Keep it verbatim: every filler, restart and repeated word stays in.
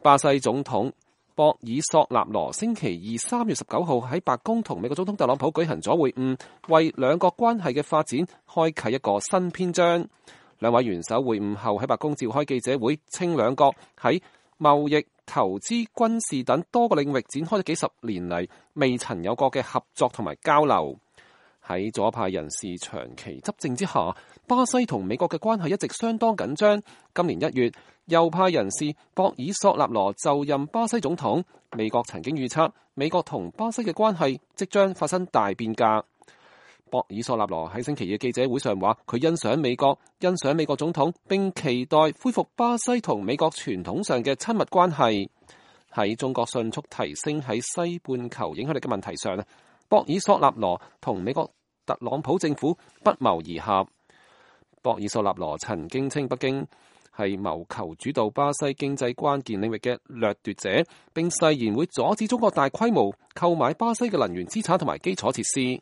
巴西總統博爾索納羅星期二三月十九號喺白宮同美國總統特朗普舉行咗會晤，為兩國關係嘅發展開啟一個新篇章。兩位元首會晤後喺白宮召開記者會，稱兩國喺貿易、投資、軍事等多個領域展開咗幾十年嚟未曾有過嘅合作同埋交流。喺左派人士長期執政之下，巴西同美國嘅關係一直相當緊張。今年一月，右派人士博爾索納羅就任巴西總統，美國曾經預測美國同巴西嘅關係即將發生大變革。博爾索納羅喺星期二嘅記者會上話，佢欣賞美國，欣賞美國總統，並期待恢復巴西同美國傳統上嘅親密關係。喺中國迅速提升喺西半球影響力嘅問題上，博爾索納羅同美國特朗普政府不謀而合。博爾索納羅曾經稱北京係謀求主導巴西經濟關鍵領域嘅掠奪者，並誓言會阻止中國大規模購買巴西嘅能源資產同埋基礎設施。